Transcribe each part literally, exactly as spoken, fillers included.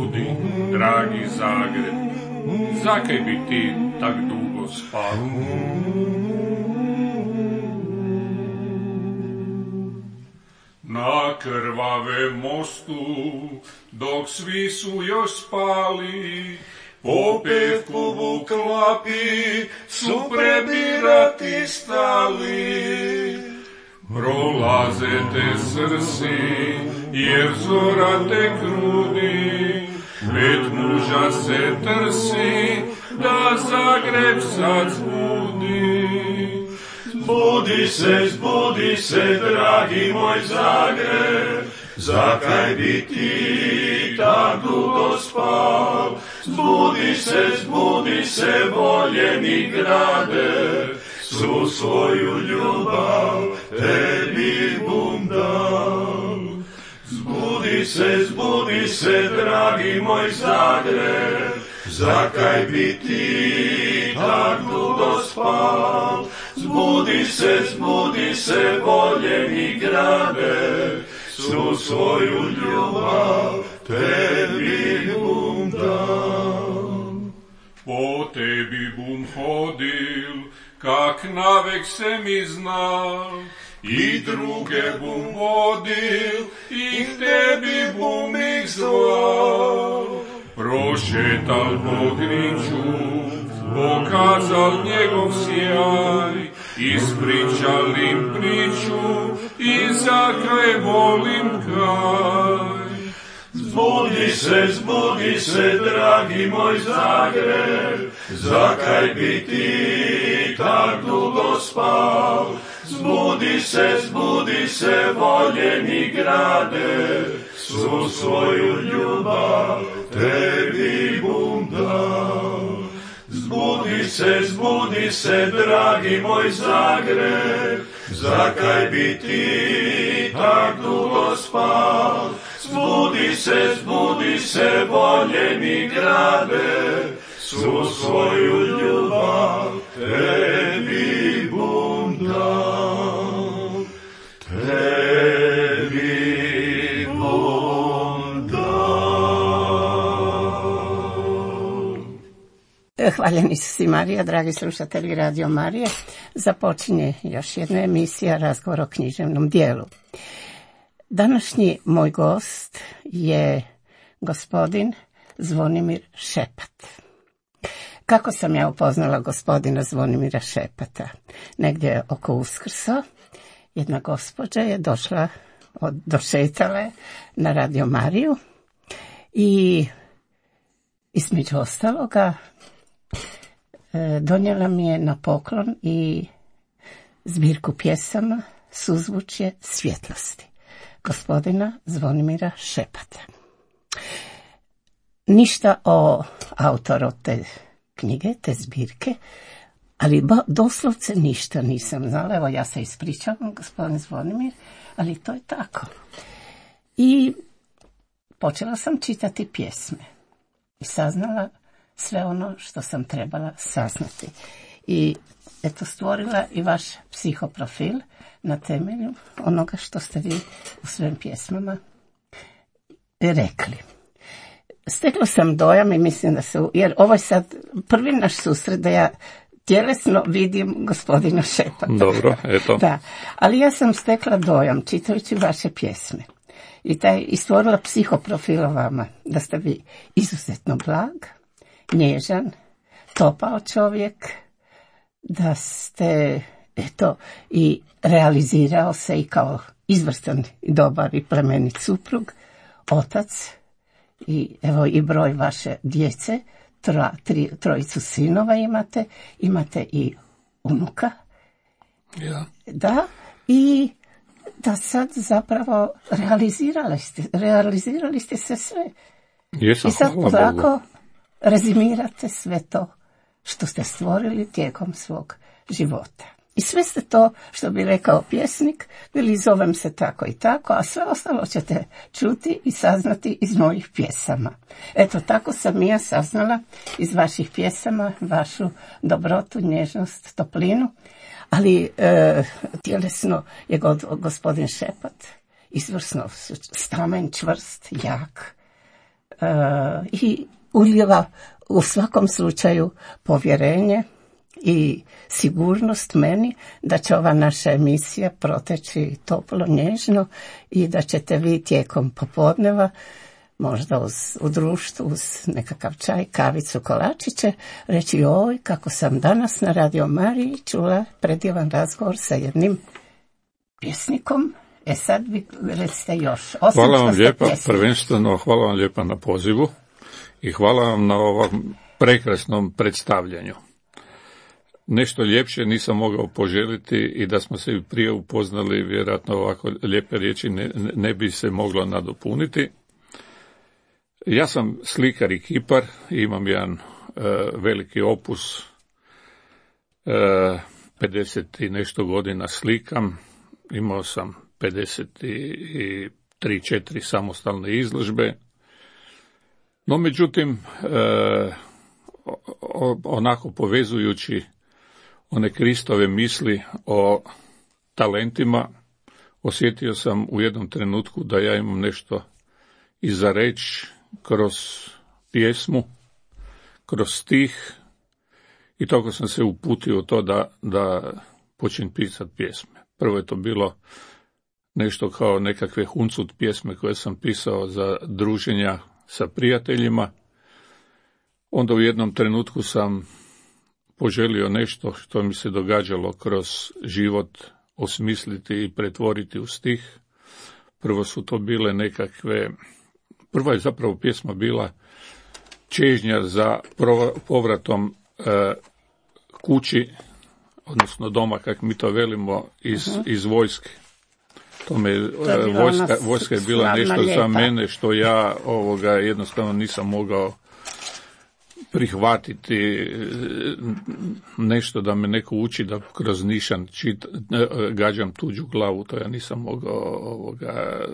grudi, dragi Zagreb, zakaj bi ti tak dugo spal? Na krvave mostu, dok svi su još spali, po pevku klapi su prebirati stali. Prolaze te srsi, jer zora te krudi, pet muža se trsi, da Zagreb sad zbudi. Zbudi se, zbudi se, dragi moj Zagreb, zakaj bi ti tak dugo spal? Zbudi se, zbudi se, voljeni grade, svu svoju ljubav tebi bum dal. Zbudi se, zbudi se, dragi moj Zagreb, zakaj bi ti tak dugo spal? Zbudi se, zbudi se, voljeni grade, svu svoju ljubav tebi bum dal. Po tebi bum hodil, kak navek se mi znal, i druge bum vodil, i k tebi bum ih zval. Prošetal po Griču, pokazal njegov sjaj, ispričal im priču, i zakaj volim kaj. Zbudi se, zbudi se, dragi moj Zagreb, zakaj bi ti tak dugo spal? Zbudi se, zbudi se, voljeni grade, svu svoju ljubav tebi bum dal. Zbudi se, zbudi se, dragi moj Zagreb, zakaj bi ti tak dugo spal? Zbudi se, zbudi se, voljeni grade, svu svoju ljubav tebi bum dal. Tebi bum dal. Hvaljeni su si Marija, dragi slušatelji Radio Marije. Započinje još jedna emisija Razgovor o književnom dijelu. Današnji moj gost je gospodin Zvonimir Šepat. Kako sam ja upoznala gospodina Zvonimira Šepata? Negdje oko Uskrsa jedna gospođa je došla, od, došetala je na Radio Mariju i između ostaloga e, donijela mi je na poklon i zbirku pjesama Suzvučje svjetlosti gospodina Zvonimira Šepata. Ništa o autoru te knjige, te zbirke, ali ba, doslovce ništa nisam znala. Evo, ja se ispričavam, gospodin Zvonimir, ali to je tako. I počela sam čitati pjesme i saznala sve ono što sam trebala saznati. I eto, stvorila i vaš psihoprofil na temelju onoga što ste vi u svojim pjesmama rekli. Stekla sam dojam i mislim da se, jer ovo je sad prvi naš susret da ja tjelesno vidim gospodina Šepata. Dobro, eto. Da, ali ja sam stekla dojam čitajući vaše pjesme i taj i stvorila psihoprofil o vama, da ste vi izuzetno blag, nježan, topao čovjek, da ste, eto, i realizirao se i kao izvrstan i dobar i plemenit suprug, otac, i evo i broj vaše djece, tro, tri, trojicu sinova imate, imate i unuka. Ja. Da, i da sad zapravo realizirali ste, realizirali ste se sve. Jesam, i sad hvala Bogu. tako rezimirate sve to što ste stvorili tijekom svog života. I sve ste to, što bi rekao pjesnik, bili zovem se tako i tako, a sve ostalo ćete čuti i saznati iz mojih pjesama. Eto, tako sam i ja saznala iz vaših pjesama vašu dobrotu, nježnost, toplinu, ali e, tjelesno je god, gospodin Šepat izvrsno stamen, čvrst, jak, i ulijeva u svakom slučaju povjerenje i sigurnost meni da će ova naša emisija proteći toplo, nježno i da ćete vi tijekom popodneva, možda uz, u društvu uz nekakav čaj, kavicu, kolačiće, reći oj kako sam danas na Radio Mariji čula predivan razgovor sa jednim pjesnikom. E sad vi recite još. Osim hvala vam lijepa, pjesnik. prvenstveno hvala vam lijepa na pozivu i hvala vam na ovom prekrasnom predstavljanju. Nešto ljepše nisam mogao poželiti i da smo se prije upoznali, vjerojatno ovako lijepe riječi ne, ne bi se moglo nadopuniti. Ja sam slikar i kipar, imam jedan e, veliki opus, e, pedeset i nešto godina slikam, imao sam pedeset tri četiri samostalne izložbe, no međutim, e, onako povezujući one Kristove misli o talentima, osjetio sam u jednom trenutku da ja imam nešto i za reći kroz pjesmu, kroz stih, i tako sam se uputio u to da, da počnem pisati pjesme. Prvo je to bilo nešto kao nekakve huncut pjesme koje sam pisao za druženja sa prijateljima. Onda u jednom trenutku sam poželio nešto što mi se događalo kroz život osmisliti i pretvoriti u stih. Prvo su to bile nekakve, prva je zapravo pjesma bila čežnja za povratom e, kući, odnosno doma, kako mi to velimo, iz, uh-huh. iz vojske. To me, to je vojska, vojska je bila nešto lijepa za mene što ja ovoga jednostavno nisam mogao prihvatiti, nešto da me neko uči da kroz nišan čita, gađam tuđu glavu, to ja nisam mogao ovoga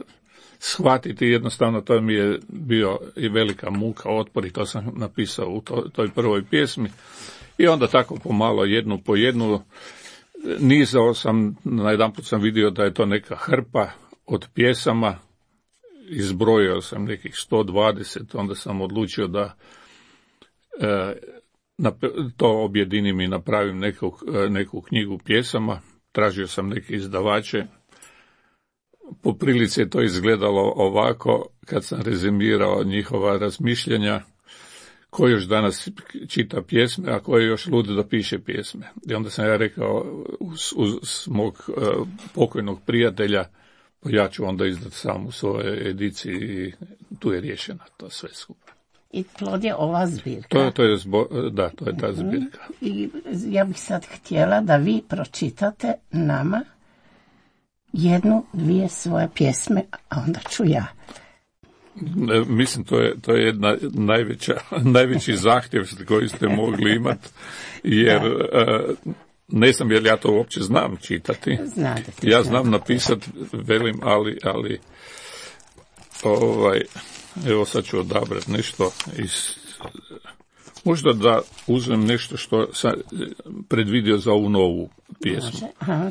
shvatiti, jednostavno to mi je bio i velika muka, otpor, i to sam napisao u to, toj prvoj pjesmi. I onda tako pomalo, jednu po jednu, nizao sam, najedanput sam vidio da je to neka hrpa od pjesama, izbrojio sam nekih sto dvadeset, onda sam odlučio da e, to objedinim i napravim neku, neku knjigu pjesama. Tražio sam neke izdavače. Po prilici je to izgledalo ovako, kad sam rezimirao njihova razmišljanja, ko još danas čita pjesme, a ko je još lud da piše pjesme. I onda sam ja rekao uz, uz mog uh, pokojnog prijatelja, pa ja ću onda izdati sam u svojoj ediciji i tu je riješena to sve skupa. I plod je ova zbirka. To, to je zbo, da, to je ta zbirka. I ja bih sad htjela da vi pročitate nama jednu, dvije svoje pjesme, a onda ću ja. Ne, mislim, to je, to je jedna najveća, najveći zahtjev koji ste mogli imati, jer uh, ne znam je li ja to uopće znam čitati. Znate, ja znam napisati, velim, ali, ali ovaj, evo sad ću odabrati nešto iz, možda da uzmem nešto što sam predvidio za ovu novu pjesmu. Može, aha.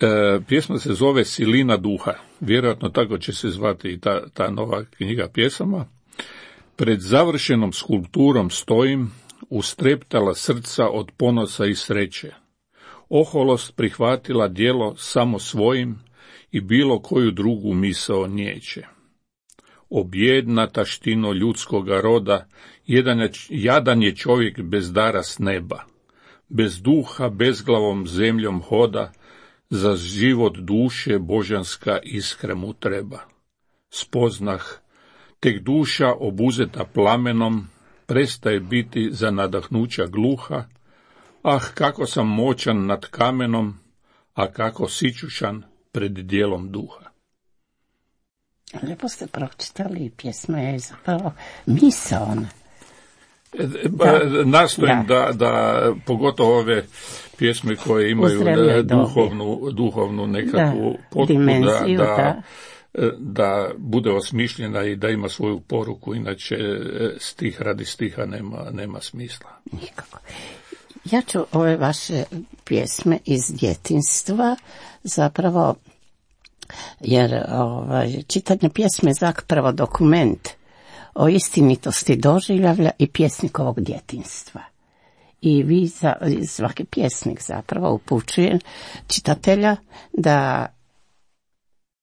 E, pjesma se zove Silina duha, vjerojatno tako će se zvati i ta, ta nova knjiga pjesama. Pred završenom skulpturom stojim, ustreptala srca od ponosa i sreće. Oholost prihvatila djelo samo svojim i bilo koju drugu misao nijeće. O bjedna taštino ljudskoga roda, jedan je, jadan je čovjek bez dara s neba. Bez duha, bezglavom zemljom hoda, za život duše božanska iskra mu treba. Spoznah, tek duša obuzeta plamenom, prestaje biti za nadahnuća gluha, ah, kako sam moćan nad kamenom, a kako sićušan pred dijelom duha. Lijepo ste pročitali, pjesma je zapravo misaona. Da, nastojim da. Da, da pogotovo ove pjesme koje imaju duhovnu, duhovnu nekakvu da, potpu, dimenziju, da, da. Da, da bude osmišljena i da ima svoju poruku, inače stih radi stiha nema, nema smisla. Nikako. Ja ću ove vaše pjesme iz djetinjstva zapravo, jer ovaj, čitanje pjesme je zapravo dokument o istinitosti doživljavlja i pjesnikovog djetinjstva. I vi, za, svaki pjesnik zapravo upućuje čitatelja da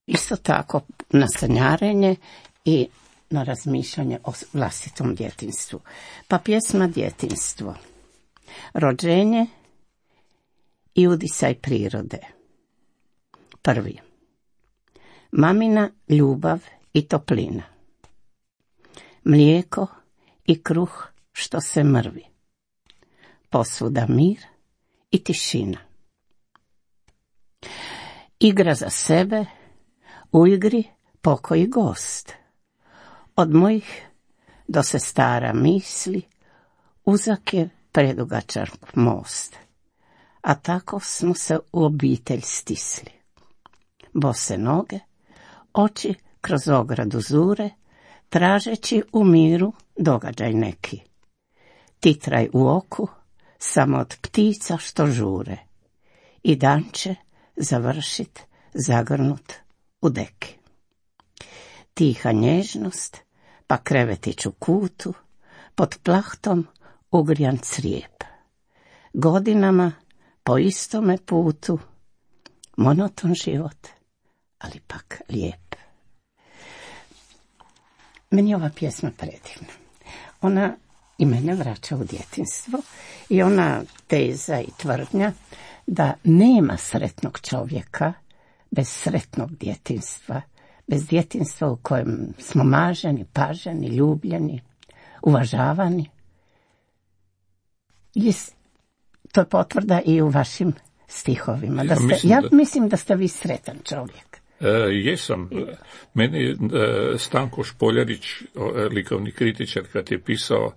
isto tako na sanjarenje i na razmišljanje o vlastitom djetinjstvu. Pa pjesma djetinjstvo. Rođenje i udisaj prirode. Prvi. Mamina ljubav i toplina. Mlijeko i kruh što se mrvi. Posvuda mir i tišina. Igra za sebe, u igri pokoji gost. Od mojih do se stara misli, uzak je predugačak most. A tako smo se u obitelj stisli. Bose noge, oči kroz ogradu zure, tražeći u miru događaj neki. Titraj u oku, samo od ptica što žure. I dan će završit zagrnut u deki. Tiha nježnost, pa krevetić u kutu, pod plahtom ugrijan crijep. Godinama po istome putu, monoton život, ali pak lijep. Meni je ova pjesma predivna. Ona i mene vraća u djetinjstvo i ona teza i tvrdnja da nema sretnog čovjeka bez sretnog djetinjstva, bez djetinjstva u kojem smo maženi, paženi, ljubljeni, uvažavani. I to je potvrda i u vašim stihovima. Da ste, ja, mislim, ja da... mislim da ste vi sretan čovjek. E, jesam. Meni e, Stanko Špoljarić, likovni kritičar, kad je pisao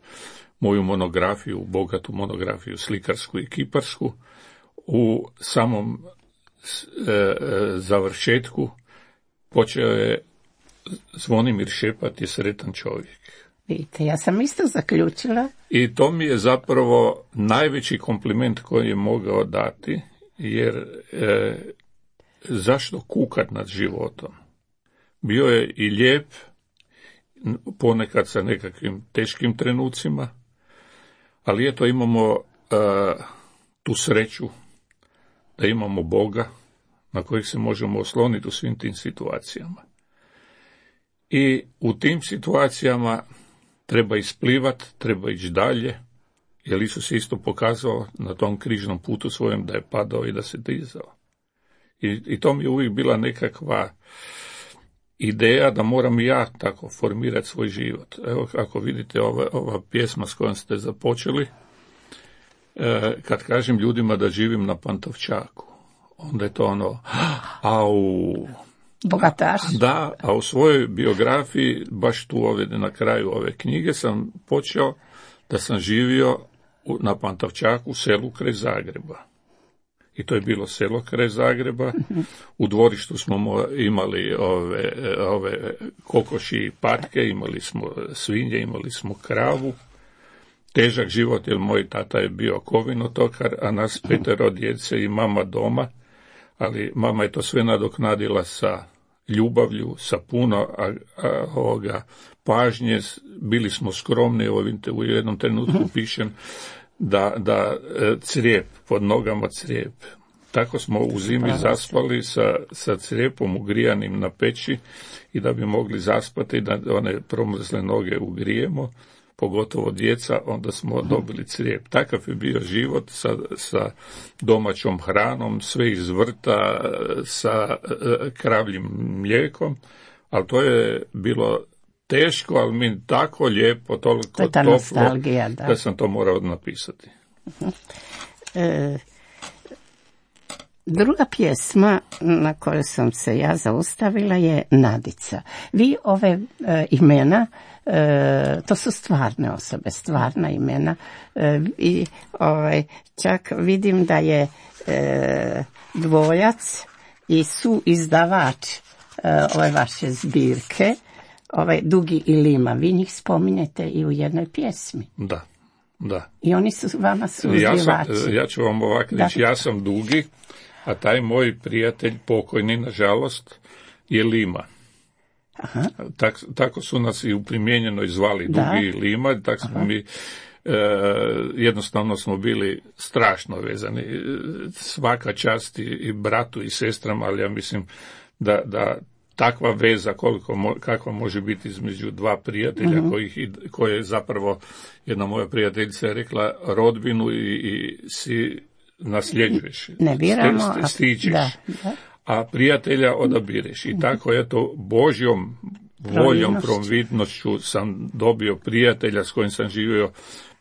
moju monografiju, bogatu monografiju slikarsku i kiparsku, u samom e, e, završetku počeo je Zvonimir Šepat je sretan čovjek. Vidite, ja sam isto zaključila. I to mi je zapravo najveći kompliment koji je mogao dati, jer e, zašto kukat nad životom? Bio je i lijep, ponekad sa nekakvim teškim trenucima, ali eto imamo e, tu sreću da imamo Boga na kojeg se možemo osloniti u svim tim situacijama. I u tim situacijama treba isplivat, treba ići dalje, jer Isus je isto pokazao na tom križnom putu svojem da je padao i da se dizao. I, i to mi je uvijek bila nekakva ideja da moram i ja tako formirati svoj život. Evo, ako vidite ova, ova pjesma s kojom ste započeli, e, kad kažem ljudima da živim na Pantovčaku, onda je to ono, au... Bogataš. Da, a u svojoj biografiji, baš tu ovdje na kraju ove knjige, sam počeo da sam živio na Pantovčaku u selu kraj Zagreba. I to je bilo selo kraj Zagreba. U dvorištu smo imali ove, ove kokoši i patke, imali smo svinje, imali smo kravu. Težak život, jer moj tata je bio kovinotokar, a nas petero djece i mama doma. Ali mama je to sve nadoknadila sa ljubavlju, sa puno a, a, ovoga pažnje. Bili smo skromni, ovinte, u jednom trenutku pišem da, da crijep, pod nogama crijep. Tako smo u zimi zaspali sa, sa crijepom ugrijanim na peći i da bi mogli zaspati, da one promrzle noge ugrijemo, pogotovo djeca, onda smo dobili crijep. Takav je bio život sa, sa domaćom hranom, sve iz vrta, sa kravljim mlijekom, ali to je bilo teško, ali mi tako lijepo, toliko to toplo, nostalgija, da. da sam to morao napisati. Uh-huh. E, druga pjesma na kojoj sam se ja zaustavila je Nadica. Vi ove e, imena, e, to su stvarne osobe, stvarna imena e, i ovaj, čak vidim da je e, dvojac i su izdavač e, ove vaše zbirke, ovaj Dugi i Lima, vi njih spominjete i u jednoj pjesmi. Da, da. I oni su vama suzljivači. Ja, sam, ja ću vam ovako reći, ja sam Dugi, a taj moj prijatelj, pokojni, nažalost, je Lima. Aha. Tak, tako su nas i u primijenjenoj zvali Da. Dugi Lima, tako smo Aha. mi E, jednostavno smo bili strašno vezani, svaka čast i, i bratu i sestrama, ali ja mislim da, da takva veza koliko mo, kakva može biti između dva prijatelja, uh-huh. kojih, koje je zapravo jedna moja prijateljica je rekla rodbinu i, i si nasljeđuješ, ne biramo, sti, stičeš, da, da. A prijatelja odabireš i tako je to Božjom voljom, providnošću sam dobio prijatelja s kojim sam živio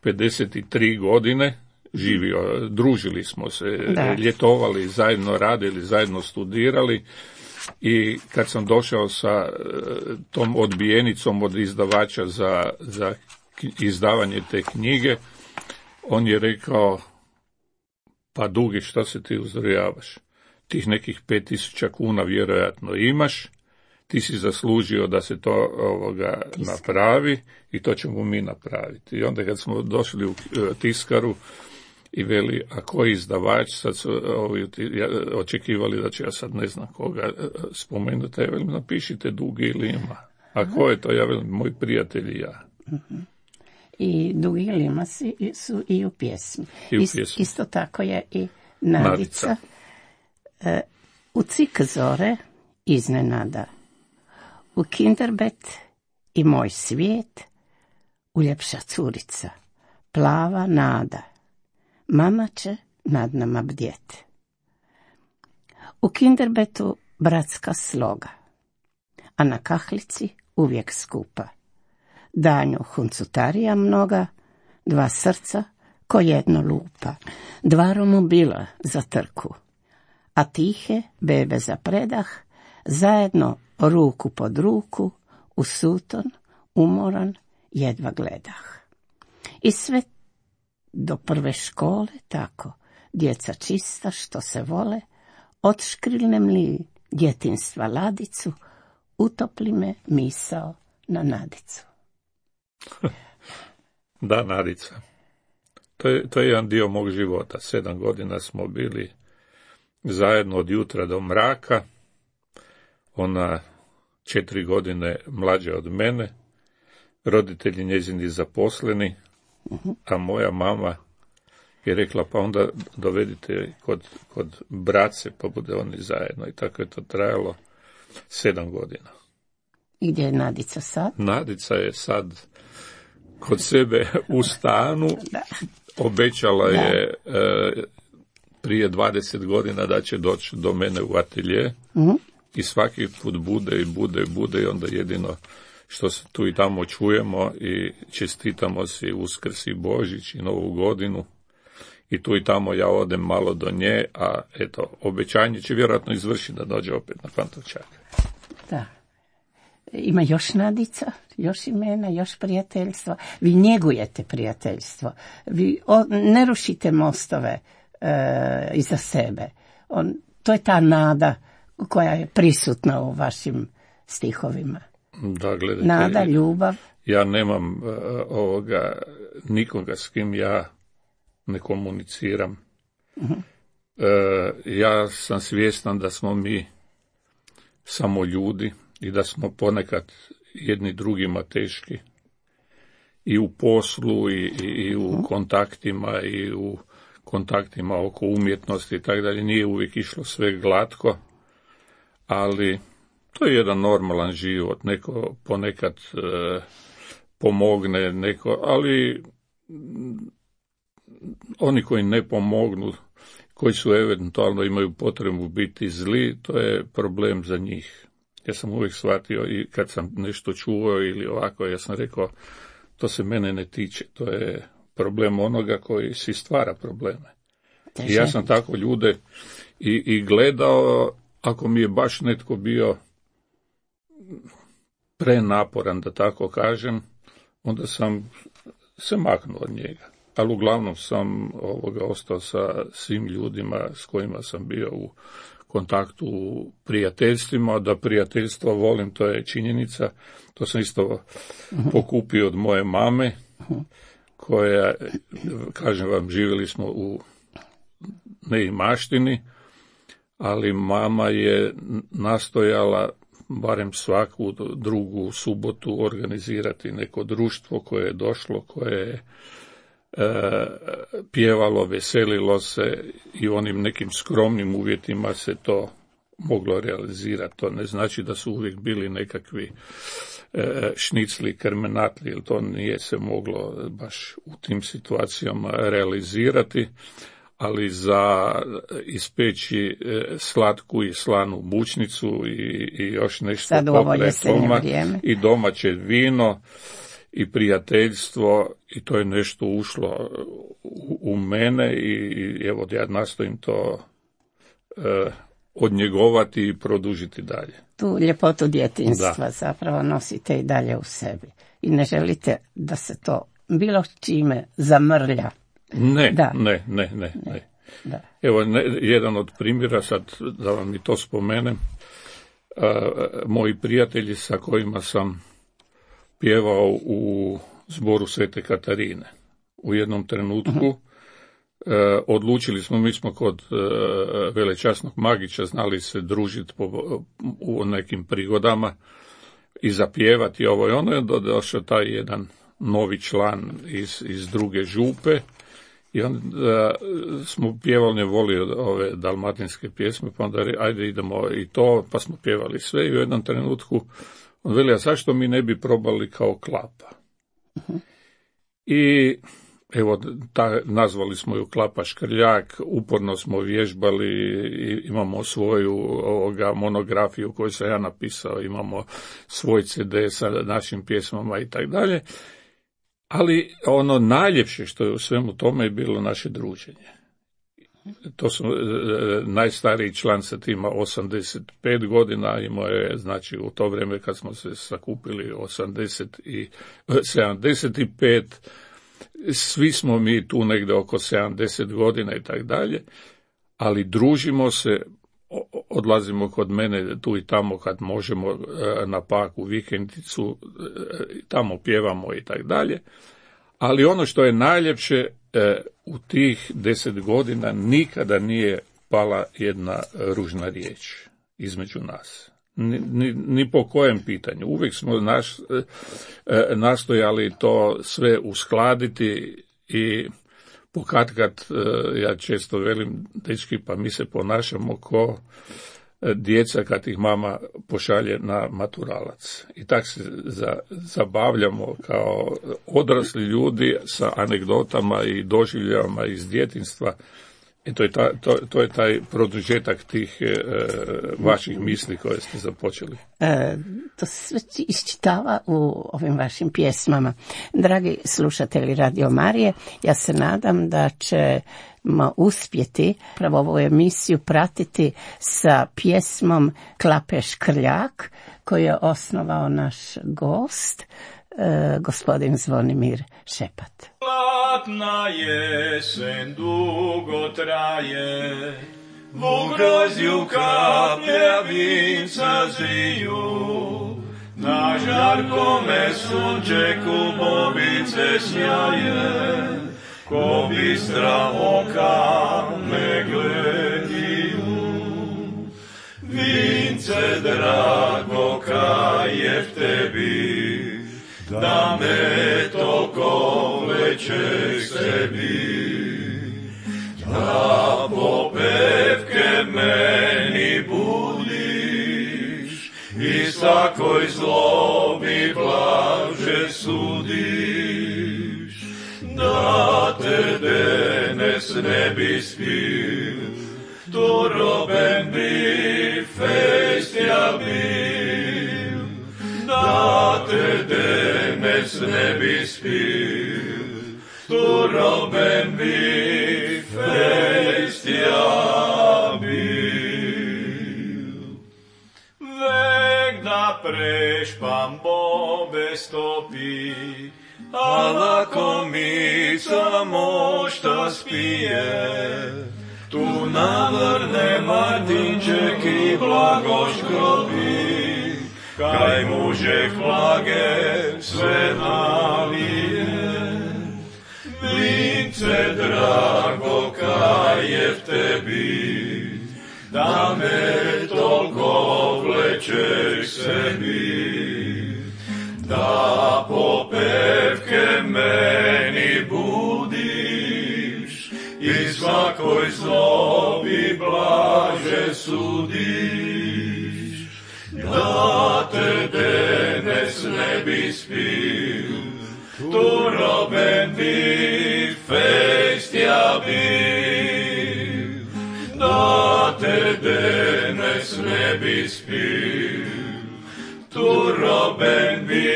pedeset tri godine, živio, družili smo se, da. Ljetovali, zajedno radili, zajedno studirali i kad sam došao sa tom odbijenicom od izdavača za, za izdavanje te knjige, on je rekao, pa Dugi, što se ti uzdrojavaš? Tih nekih pet tisuća kuna vjerojatno imaš, ti si zaslužio da se to ovoga napravi i to ćemo mi napraviti. I onda kad smo došli u tiskaru i veli, a koji izdavač, sad su ovi, očekivali da će ja sad ne znam koga spomenuti, ja velim, napišite Dugi Lima. A ko je to? Ja velim, moj prijatelj i ja. Uh-huh. I Dugi Lima su, su i u pjesmi. I u Ist, pjesmi. Isto tako je i Nadica. Nadica. E, u cik zore iznenada. U Kinderbet i moj svijet, uljepša curica, plava nada, mama će nad nama bdjet. U Kinderbetu bratska sloga, a na kahlici uvijek skupa. Danju huncutarija mnoga, dva srca ko jedno lupa, dva romobila za trku, a tihe bebe za predah, zajedno ruku pod ruku, u suton, umoran, jedva gledah. I sve do prve škole tako, djeca čista što se vole, odškrilnem li djetinstva ladicu, utopli me misao na Nadicu. Da, Nadica. To je, to je jedan dio mog života. Sedam godina smo bili zajedno od jutra do mraka. Ona četiri godine mlađa od mene, roditelji njezini zaposleni, uh-huh. a moja mama je rekla, pa onda dovedite kod, kod brace, pa bude oni zajedno. I tako je to trajalo sedam godina. I gdje je Nadica sad? Nadica je sad kod sebe u stanu, da. Obećala da. je e, prije dvadeset godina da će doći do mene u atelje. Uh-huh. I svaki put bude i bude i bude i onda jedino što se tu i tamo čujemo i čestitamo si Uskrs i Božić i Novu godinu i tu i tamo ja odem malo do nje, a eto, obećanje će vjerojatno izvršiti da dođe opet na Pantovčak. Da. Ima još Nadica, još imena, još prijateljstva. Vi njegujete prijateljstvo. Vi o, ne rušite mostove e, iza sebe. On, to je ta nada koja je prisutna u vašim stihovima. Da, gledajte, nada, ljubav. Ja nemam uh, ovoga, nikoga s kim ja ne komuniciram. Uh-huh. Uh, ja sam svjestan da smo mi samo ljudi i da smo ponekad jedni drugima teški. I u poslu, i, i, i u uh-huh. kontaktima, i u kontaktima oko umjetnosti i tako dalje. Nije uvijek išlo sve glatko. Ali to je jedan normalan život, neko ponekad e, pomogne, neko, ali oni koji ne pomognu, koji su eventualno imaju potrebu biti zli, to je problem za njih. Ja sam uvijek shvatio i kad sam nešto čuo ili ovako, ja sam rekao, to se mene ne tiče, to je problem onoga koji si stvara probleme. I ja sam tako ljude i, i gledao. Ako mi je baš netko bio prenaporan, da tako kažem, onda sam se maknuo od njega. Ali uglavnom sam ovoga ostao sa svim ljudima s kojima sam bio u kontaktu, u prijateljstvima. Da prijateljstvo volim, to je činjenica. To sam isto pokupio od moje mame, koja, kažem vam, živjeli smo u neimaštini, ali mama je nastojala barem svaku drugu subotu organizirati neko društvo koje je došlo, koje je e, pjevalo, veselilo se i u onim nekim skromnim uvjetima se to moglo realizirati. To ne znači da su uvijek bili nekakvi e, šnicli, krmenatli, jer to nije se moglo baš u tim situacijama realizirati, ali za ispeći e, slatku i slanu bučnicu i, i još nešto doma, i domaće vino i prijateljstvo, i to je nešto ušlo u, u mene i, i evo ja nastojim to e, odnjegovati i produžiti dalje. Tu ljepotu djetinjstva da. Zapravo nosite i dalje u sebi i ne želite da se to bilo čime zamrlja. Ne, da. ne, ne, ne. ne. Da. Evo ne, jedan od primjera, sad da vam i to spomenem, a, moji prijatelji sa kojima sam pjevao u zboru Svete Katarine. U jednom trenutku uh-huh. e, odlučili smo, mi smo kod e, velečasnog Magića znali se družiti po, u nekim prigodama i zapjevati ovo i ono, je došao taj jedan novi član iz, iz druge župe i onda smo pjevali, ne volio ove dalmatinske pjesme, pa onda ajde idemo i to, pa smo pjevali sve i u jednom trenutku on veli, a zašto mi ne bi probali kao Klapa? Uh-huh. I evo, ta, nazvali smo ju Klapa Škrljak, uporno smo vježbali, imamo svoju ovoga monografiju koju sam ja napisao, imamo svoj ce de sa našim pjesmama i tako dalje. Ali ono najljepše što je u svemu tome je bilo naše druženje. To su e, najstariji član sa tima osamdeset pet godina, imao je, znači u to vrijeme kad smo se sakupili osamdeset i sedamdeset pet, svi smo mi tu negdje oko sedamdeset godina i tako dalje, ali družimo se, odlazimo kod mene tu i tamo kad možemo na paku, vikendicu, tamo pjevamo i tako dalje. Ali ono što je najljepše, u tih deset godina nikada nije pala jedna ružna riječ između nas. Ni, ni, ni po kojem pitanju. Uvijek smo naš, nastojali to sve uskladiti i pokatkad, ja često velim, dečki, pa mi se ponašamo ko djeca kad ih mama pošalje na maturalac. I tak se za, zabavljamo kao odrasli ljudi sa anegdotama i doživljavama iz djetinjstva. I to je, ta, to, to je taj produžetak tih e, vaših misli koje ste započeli. E, to se sve iščitava u ovim vašim pjesmama. Dragi slušatelji Radio Marije, ja se nadam da ćemo uspjeti pravo ovu emisiju pratiti sa pjesmom Klape Škrljak, koju je osnovao naš gost, e, gospodin Zvonimir Šepat. Hladna jesen dugo traje, u grozdju kaplja vinca zriju, na žarkome sunčeku bobice sjaje, ko bistra oka me glediju. Vince drago kaje v tebi, da me toliko vleče k sebi, da popevke meni budiš i svakoj zlobi blaže sudiš, da te denes ne bi spil, tu roben bi fest ja bil, da te denes ne bi spil, tu roben bi fest ja bil. Vek da prešpam bobe stopi, a lakomica mošta spije, tu navrne Martinček i blagoš kropi, kaj mužek vlage sve nalije. Vince drago kaj je v tebi, da me toliko vleče k sebi, da popevke meni budiš i svakoj zlobi blaže sudiš, da te denes ne bi spil, tu roben bi fejst ja bil, da te denes ne bi spil, tu roben bi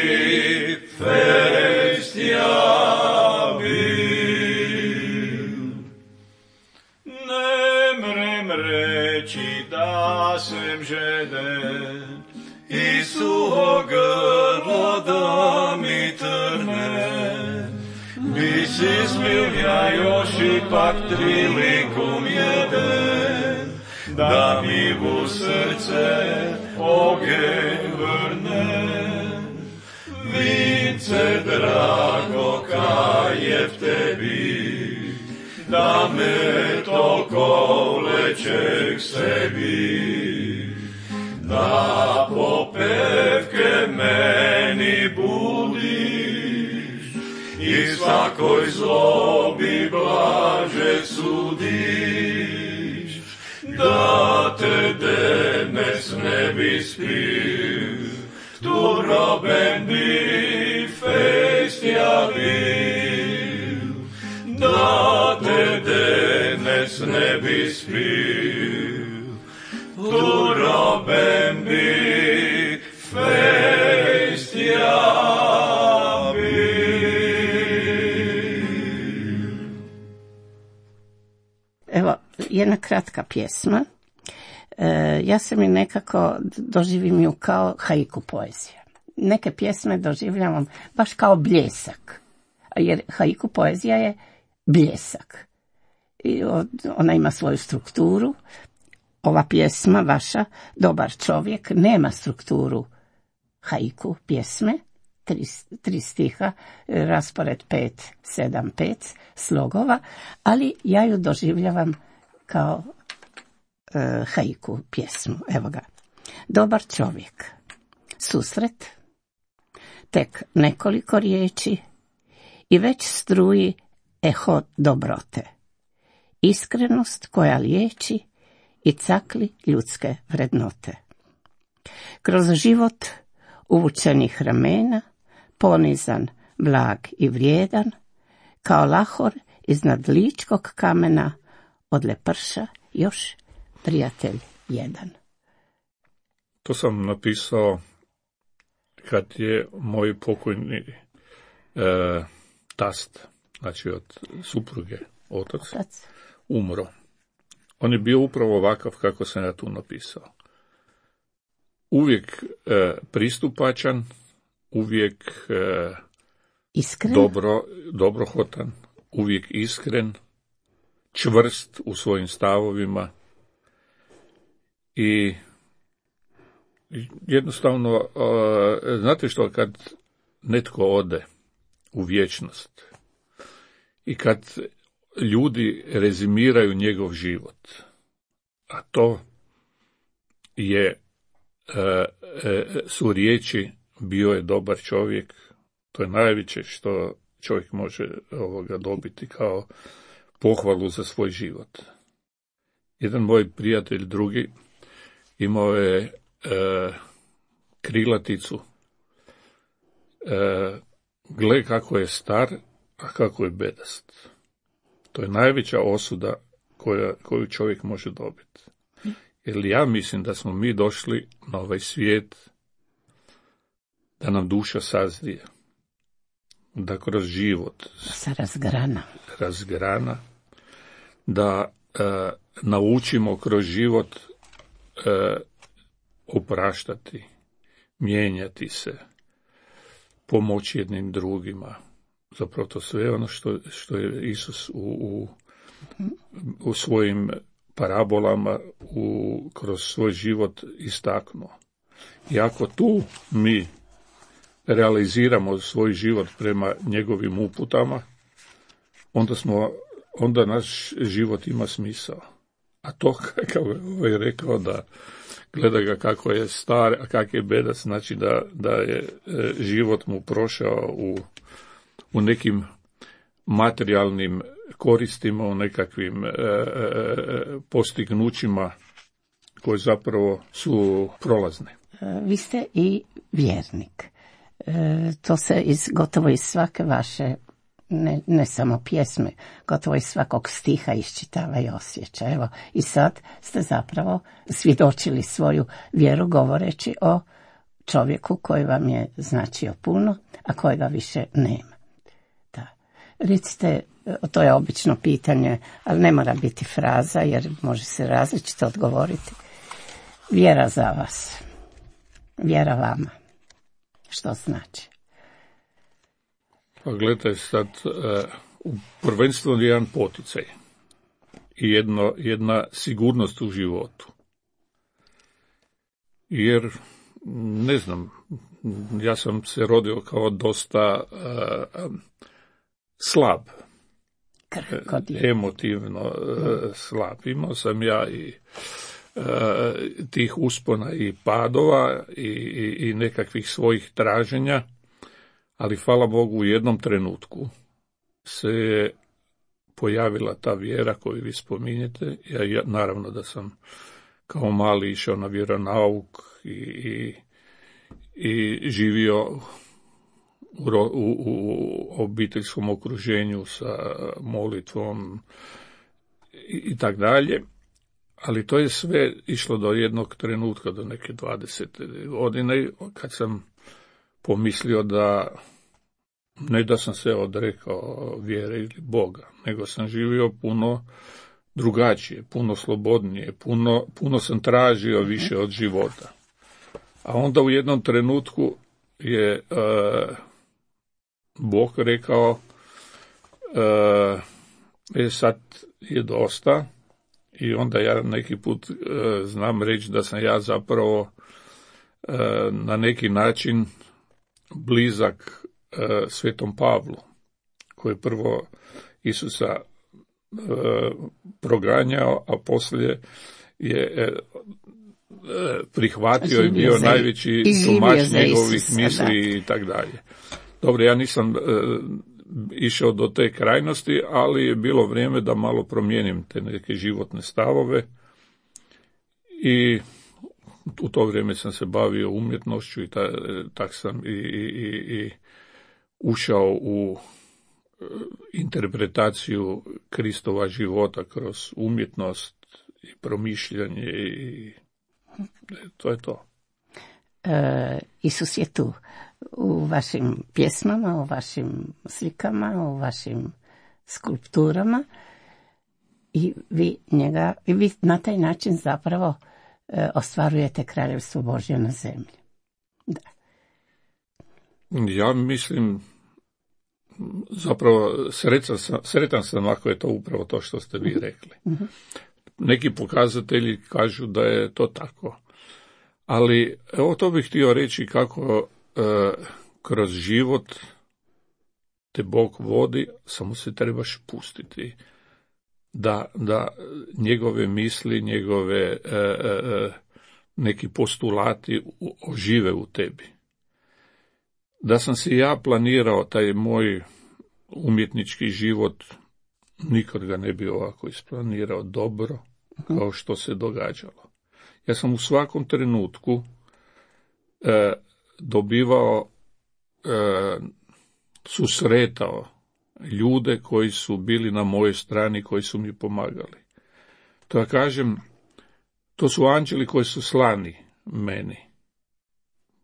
fejst ja bil. Ne mrem reći da sem žeden, Isuho grlo da mi trne, bi si smil ja još ipak prilikom jeden, da mi u srce ogenj vrne. Vince drago kaje v tebi, da me toliko vleče k sebi, da popevke meni budiš i svakoj zlobi blaže sudiš, da te denes ne bi spil, tu roben bi fejst ja bil, da te denes ne bi spil, tu roben bi fejst ja bil. Evo, jedna kratka pjesma. E, ja sam i nekako doživim ju kao haiku poezija. Neke pjesme doživljavam baš kao bljesak, jer haiku poezija je bljesak. I ona ima svoju strukturu. Ova pjesma vaša, Dobar čovjek, nema strukturu haiku pjesme, tri, tri stiha, raspored pet, sedam, pet slogova, ali ja ju doživljavam kao uh, haiku pjesmu. Evo ga. Dobar čovjek. Susret. Tek nekoliko riječi i već struji eho dobrote. Iskrenost koja liječi i cakli ljudske vrednote. Kroz život uvučenih ramena, ponizan, blag i vrijedan, kao lahor iznad ličkog kamena, od leprša još prijatelj jedan. To sam napisao kad je moj pokojni e, tast, znači od supruge, otac, otac, umro. On je bio upravo ovakav kako sam ja tu napisao. Uvijek e, pristupačan, uvijek e, dobro, dobrohotan, uvijek iskren, čvrst u svojim stavovima i jednostavno, e, znate što, kad netko ode u vječnost i kad ljudi rezimiraju njegov život, a to je e, e, su riječi bio je dobar čovjek, to je najveće što čovjek može ovoga dobiti kao pohvalu za svoj život. Jedan moj prijatelj drugi imao je e, krilaticu, e, gle kako je star, a kako je bedast. To je najveća osuda koja, koju čovjek može dobiti. Jer ja mislim da smo mi došli na ovaj svijet da nam duša sazrije, da kroz život se razgrana, razgrana da e, naučimo kroz život e, opraštati, mijenjati se, pomoći jednim drugima. Zapravo to sve ono što, što je Isus u, u, u svojim parabolama u, kroz svoj život istaknuo. I ako tu mi realiziramo svoj život prema njegovim uputama, onda, smo, onda naš život ima smisao. A to, kako je rekao, da gleda ga kako je star, a kak je bedac, znači da, da je e, život mu prošao u, u nekim materijalnim koristima, u nekakvim e, e, postignućima koje zapravo su prolazne. Vi ste i vjernik. E, to se iz, gotovo iz svake vaše, ne, ne samo pjesme, gotovo iz svakog stiha iščitava i osjeća. Evo, i sad ste zapravo svjedočili svoju vjeru govoreći o čovjeku koji vam je značio puno, a kojega više nema. Da. Recite, to je obično pitanje, ali ne mora biti fraza jer može se različito odgovoriti. Vjera za vas. Vjera vama. Što znači? Pa gledajte sad, uh, prvenstveno jedan poticaj i jedno, jedna sigurnost u životu. Jer, ne znam, ja sam se rodio kao dosta uh, slab, emotivno uh, slab. Imao sam ja i uh, tih uspona i padova i, i, i nekakvih svojih traženja, ali hvala Bogu u jednom trenutku se je pojavila ta vjera koju vi spominjete. Ja, ja naravno da sam kao mali išao na vjeronauk i, i, i živio u, u, u obiteljskom okruženju sa molitvom i, i tak dalje. Ali to je sve išlo do jednog trenutka, do neke dvadesete godine, kad sam pomislio da ne da sam se odrekao vjere ili Boga, nego sam živio puno drugačije, puno slobodnije, puno, puno sam tražio više od života. A onda u jednom trenutku je uh, Bog rekao, uh, e sad je dosta, i onda ja neki put uh, znam reći da sam ja zapravo uh, na neki način blizak uh, Svetom Pavlu, koji je prvo Isusa uh, proganjao, a poslije je uh, prihvatio i bio najveći tumač njegovih misli i tak dalje. Dobro, ja nisam uh, išao do te krajnosti, ali je bilo vrijeme da malo promijenim te neke životne stavove i u to vrijeme sam se bavio umjetnošću i ta, tak sam i, i, i ušao u interpretaciju Kristova života kroz umjetnost i promišljanje i to je to. E, Isus je tu u vašim pjesmama, u vašim slikama, u vašim skulpturama i vi njega, i vi na taj način zapravo e, ostvarujete kraljevstvo Božje na zemlji. Da. Ja mislim, zapravo sretan sam, sretan sam ako je to upravo to što ste vi rekli. Uh-huh. Neki pokazatelji kažu da je to tako. Ali evo to bih htio reći kako e, kroz život te Bog vodi, samo se trebaš pustiti. Da, da njegove misli, njegove e, e, neki postulati ožive u tebi. Da sam si ja planirao taj moj umjetnički život, nikad ga ne bi ovako isplanirao dobro, kao što se događalo. Ja sam u svakom trenutku e, dobivao, e, susretao ljude koji su bili na mojoj strani, koji su mi pomagali. To ja kažem, to su anđeli koji su slani meni.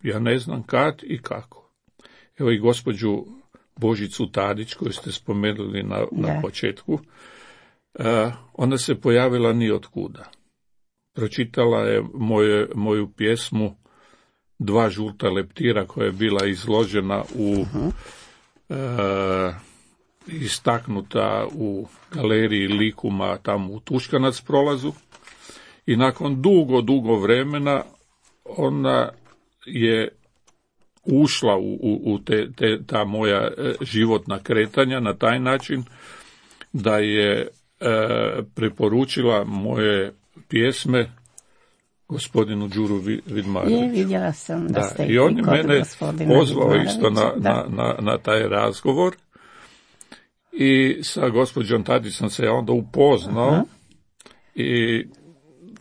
Ja ne znam kad i kako. Evo i gospođu Božicu Tadić, koju ste spomenuli na, na početku, e, ona se pojavila ni od kuda. Pročitala je moje, moju pjesmu Dva žuta leptira, koja je bila izložena u uh-huh. e, istaknuta u galeriji Likuma tamo u Tuškanac prolazu, i nakon dugo, dugo vremena ona je ušla u, u, u te, te, ta moja životna kretanja na taj način da je e, preporučila moje pjesme gospodinu Đuru Vidmaroviću. Je, vidjela sam da, da ste i on je mene pozvao isto na, na, na, na taj razgovor i sa gospođom Tadić sam se onda upoznao. Aha. I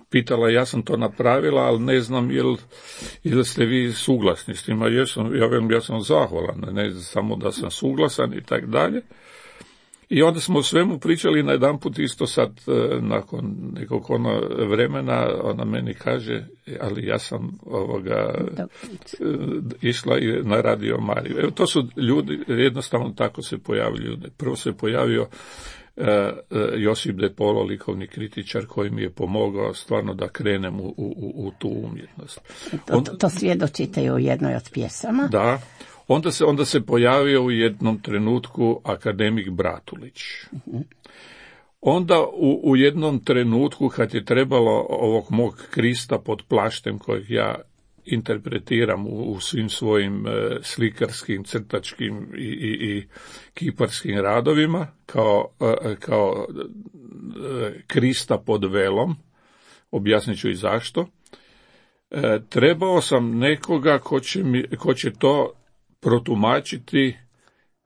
pitala, ja sam to napravila, ali ne znam jel, jel ste vi suglasni s tima. Jesam, ja velim, ja sam zahvalan, ne samo da sam suglasan i tak dalje. I onda smo o svemu pričali na jedan put isto sad, nakon nekog ono vremena, ona meni kaže, ali ja sam ovoga išla na Radio Mariju. Evo, to su ljudi, jednostavno tako se pojavili ljudi. Prvo se pojavio Uh, Josip De Polo, likovni kritičar koji mi je pomogao stvarno da krenem u, u, u tu umjetnost. On, to, to svjedočite u jednoj od pjesama. Da. Onda se, onda se pojavio u jednom trenutku akademik Bratulić. Uh-huh. Onda u, u jednom trenutku kad je trebalo ovog mog Krista pod plaštem kojeg ja interpretiram u, u svim svojim e, slikarskim, crtačkim i, i, i kiparskim radovima kao, e, kao e, Krista pod velom, objasnit ću i zašto, e, trebao sam nekoga ko će, mi, ko će to protumačiti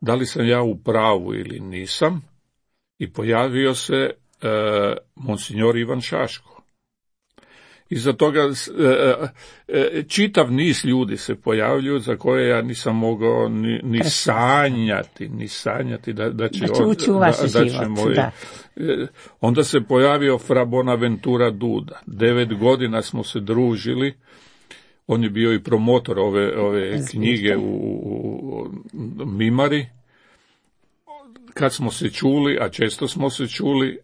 da li sam ja u pravu ili nisam, i pojavio se e, monsignor Ivan Šaško. Iza toga e, e, čitav niz ljudi se pojavljuju za koje ja nisam mogao ni, ni sanjati, ni sanjati da, da će, da će ući u vaš da, život. Da će moj, da. E, onda se pojavio Fra Bonaventura Duda. Devet godina smo se družili. On je bio i promotor ove, ove knjige u, u, u Mimari. Kad smo se čuli, a često smo se čuli,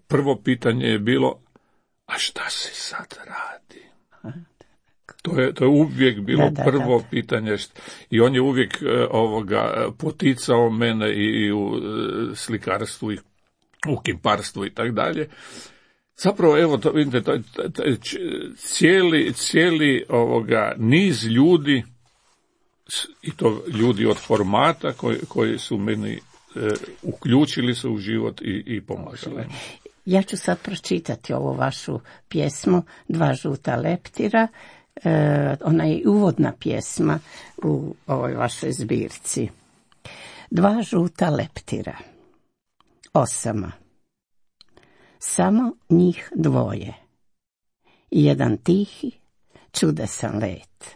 prvo pitanje je bilo, a šta se sad radi? To je, to je uvijek bilo da, da, prvo da. pitanje. I on je uvijek ovoga poticao mene i, i u slikarstvu i u kiparstvu i tak dalje. Zapravo, evo, to, vidite, to, to, to, cijeli, cijeli ovoga niz ljudi, i to ljudi od formata koji, koji su meni e, uključili se u život i, i pomagali. Ja ću sad pročitati ovu vašu pjesmu Dva žuta leptira. E, ona je uvodna pjesma u ovoj vašoj zbirci. Dva žuta leptira. Osama. Samo njih dvoje. Jedan tihi, čudesan let.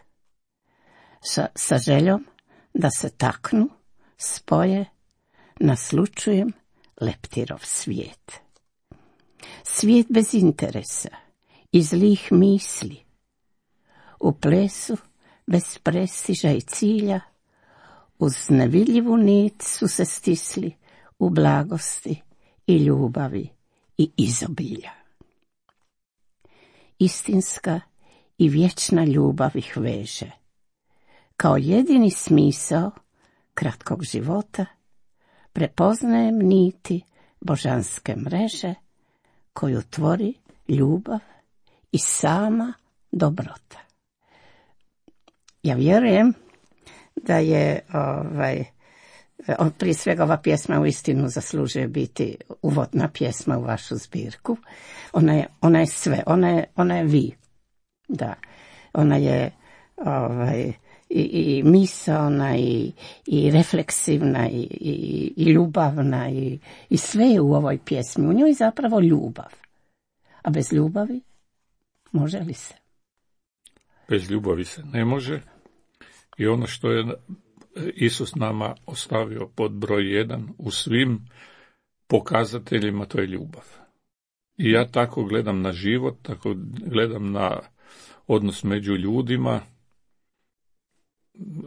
Sa, sa željom da se taknu, spoje, naslučujem leptirov svijet. Svijet bez interesa i zlih misli. U plesu bez prestiža i cilja, uz nevidljivu nit su se stisli u blagosti i ljubavi i izobilja. Istinska i vječna ljubav ih veže. Kao jedini smisao kratkog života prepoznajem niti božanske mreže koju tvori ljubav i sama dobrota. Ja vjerujem da je ovaj, prije svega ova pjesma uistinu zaslužuje biti uvodna pjesma u vašu zbirku. Ona je, ona je sve, ona je, ona je vi. Da. Ona je ovaj, i, i misaona i, i refleksivna i, i, i ljubavna i, i sve je u ovoj pjesmi. U njoj je zapravo ljubav. A bez ljubavi može li se? Bez ljubavi se ne može. I ono što je Isus nama ostavio pod broj jedan u svim pokazateljima, to je ljubav. I ja tako gledam na život, tako gledam na odnos među ljudima.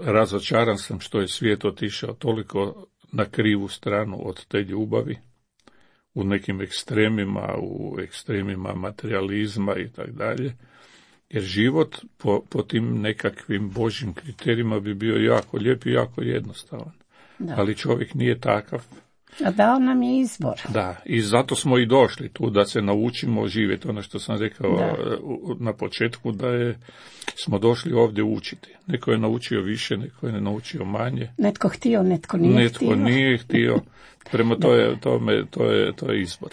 Razočaran sam što je svijet otišao toliko na krivu stranu od te ljubavi, u nekim ekstremima, u ekstremima materializma i tako dalje. Jer život po, po tim nekakvim božjim kriterijima bi bio jako lijep i jako jednostavan. Da. Ali čovjek nije takav. A dao nam je izbor. Da, i zato smo i došli tu da se naučimo živjeti. Ono što sam rekao da. na početku, da je, smo došli ovdje učiti. Neko je naučio više, neko je naučio manje. Netko htio, netko nije netko htio. Netko nije htio. Prema to je, tome, to je, to je izbor.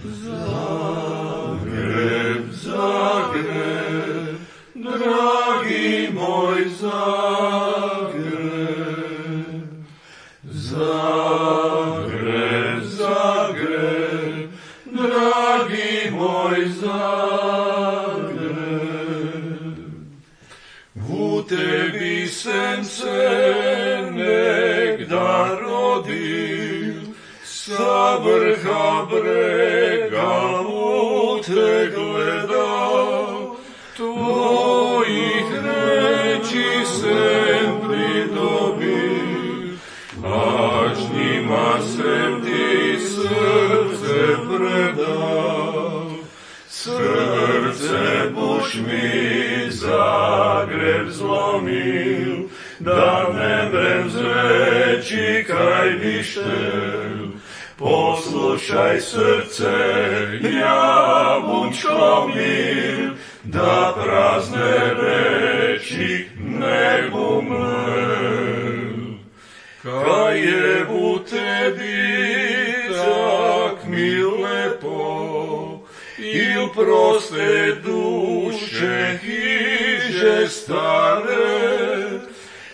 Zagre buš mi Zagreb zlomil, da ne brem zreći kaj bištel. Poslušaj srce, javunčko mil, da prazne reči ne bumel. Kaj je u tebi tak mi lepo, il proste duše hiže stare,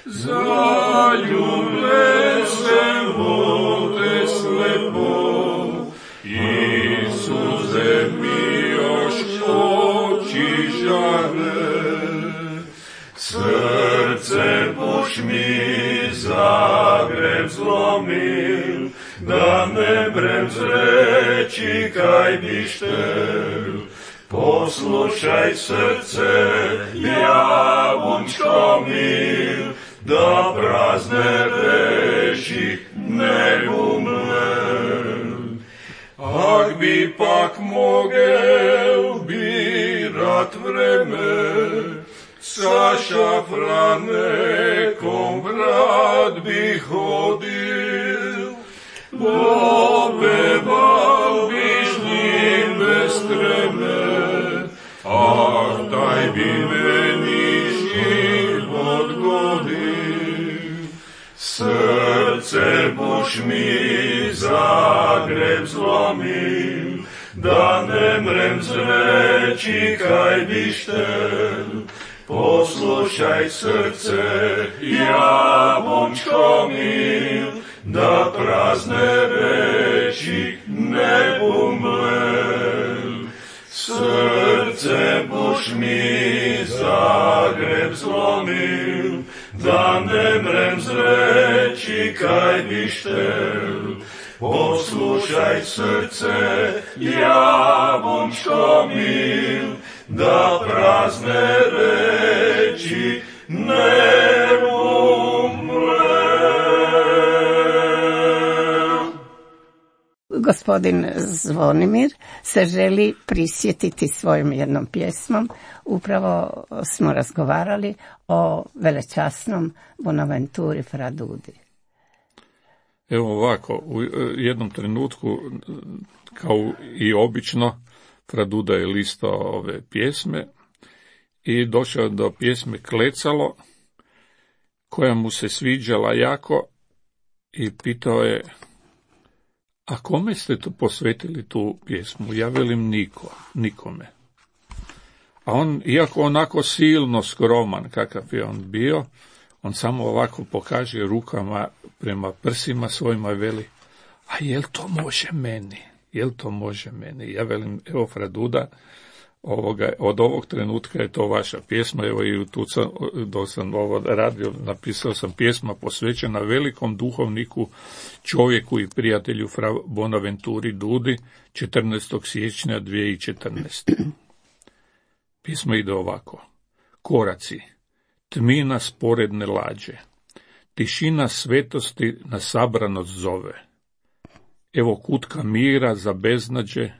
zaljubljen sem vode slepo, i suze mi još oči žare. Srce buš mi Zagreb zlomil, da ne brem zreći kaj bištel. Poslušaj srce, javunčko mil, da prazne reči ne bumel. Ak bi pak mogel birat vreme, sa šafranekom vrat bi hodil, popeval bi s njim bez treme, ah, daj bi meni život godil. Srce buš mi Zagreb zlomil, da ne mrem zreći kaj bištel. Poslušaj srce, javunčko mil, da prazne reči ne bumel. Srce buš mi Zagreb zlomil, da ne mrem zreći kaj bištel. Poslušaj srce, javunčko mil, da prazne reči ne bumel. Gospodin Zvonimir se želi prisjetiti svojom jednom pjesmom. Upravo smo razgovarali o velečasnom Bonaventuri Fradudi. Evo ovako, u jednom trenutku, kao i obično, Fraduda je listao ove pjesme i došao do pjesme Klecalo, koja mu se sviđala jako i pitao je, a kome ste to posvetili tu pjesmu? Ja velim niko, nikome. A on, iako onako silno skroman kakav je on bio, on samo ovako pokaže rukama prema prsima svojima i veli, a jel to može meni? Jel to može meni? Ja velim, evo Fraduda, ovoga, od ovog trenutka je to vaša pjesma, evo i tu sam, dok sam ovo radio, napisao sam pjesma posvećena velikom duhovniku, čovjeku i prijatelju fra Bonaventuri Dudi, četrnaestog siječnja dvije tisuće četrnaeste. Pjesma ide ovako. Koraci, tmina sporedne lađe, tišina svetosti na sabranost zove. Evo kutka mira za beznađe,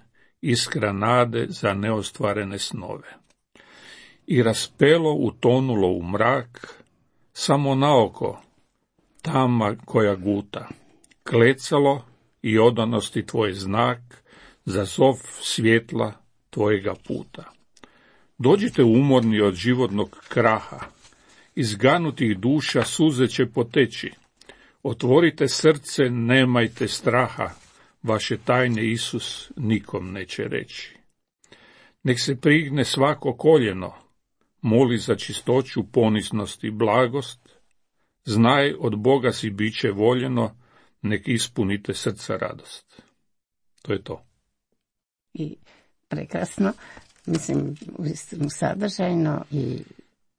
iskra nade za neostvarene snove. I raspelo utonulo u mrak, samo naoko, tama koja guta, klecalo i odanosti tvoj znak, za zov svjetla tvojega puta. Dođite umorni od životnog kraha, izganutih duša suze će poteći, otvorite srce, nemajte straha, vaše tajne Isus nikom neće reći. Nek se prigne svako koljeno, moli za čistoću, poniznost i blagost, znaj od Boga si biće voljeno, nek ispunite srca radost. To je to. I prekrasno, mislim, uistinu sadržajno i,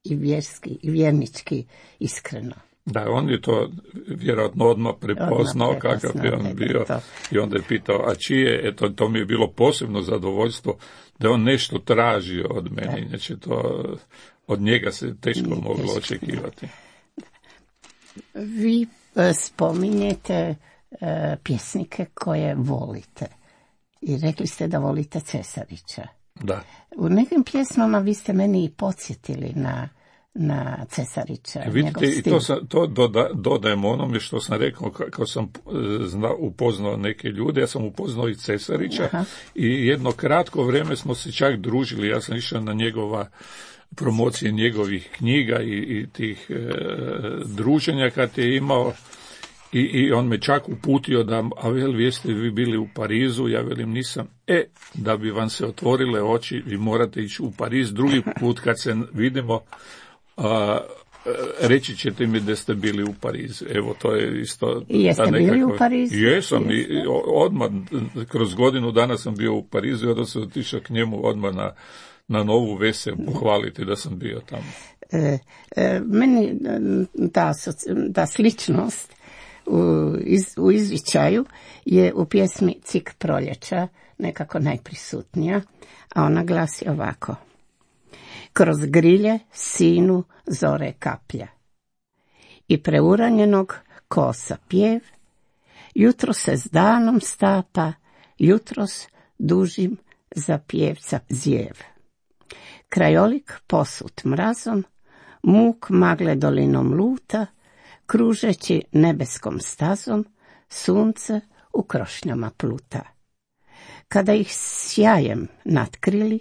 i vjerski, i vjernički iskreno. Da, on je to vjerojatno odmah prepoznao, odmah kakav je on bio to. I onda je pitao, a čije, eto, to mi je bilo posebno zadovoljstvo da on nešto traži od mene, inače to od njega se teško Nije moglo teško, očekivati. Vi spominjete uh, pjesnike koje volite i rekli ste da volite Cesarića. Da. U nekim pjesmama vi ste meni i podsjetili na, na Cesarića. Vidite, i to, sam, to doda, dodajem onome što sam rekao, kako sam zna, upoznao neke ljude, ja sam upoznao i Cesarića. Aha. I jedno kratko vrijeme smo se čak družili, ja sam išao na njegova promocije njegovih knjiga i, i tih e, druženja kad je imao. I, I on me čak uputio da, a veli, jeste vi bili u Parizu, ja velim nisam. E, da bi vam se otvorile oči, vi morate ići u Pariz drugi put kad se vidimo, a, reći ćete mi da ste bili u Parizu. Evo, to je isto... I jeste nekako, bili u Parizu? Jesam, Jeste. i odmah, kroz godinu dana sam bio u Parizu i onda sam otišao k njemu odmah na, na Novu Vese pohvaliti da sam bio tamo. E, e, meni ta, ta sličnost U, iz, u izričaju je u pjesmi Cik proljeća nekako najprisutnija, a ona glasi ovako. Kroz grilje sinu zore kaplja i preuranjenog kosa pjev, jutro se s danom stapa, jutros dužim za pjevca zjev. Krajolik posut mrazom, muk magle dolinom luta, kružeći nebeskom stazom, sunce u krošnjama pluta. Kada ih sjajem natkrili,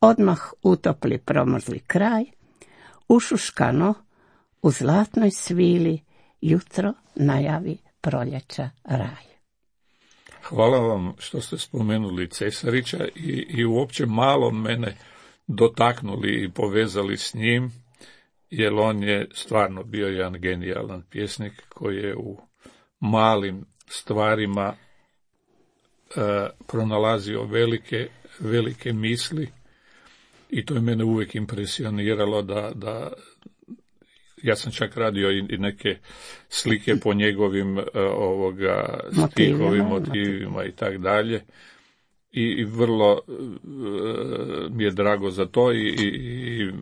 odmah utopli promrzli kraj, ušuškano u zlatnoj svili jutro najavi proljeća raj. Hvala vam što ste spomenuli Cesarića i, i uopće malo mene dotaknuli i povezali s njim, jer on je stvarno bio jedan genijalan pjesnik koji je u malim stvarima e, pronalazio velike, velike misli i to je mene uvijek impresioniralo da, da ja sam čak radio i, i neke slike po njegovim e, ovoga stihovim motivima i tak dalje. I, i vrlo e, mi je drago za to i, i, i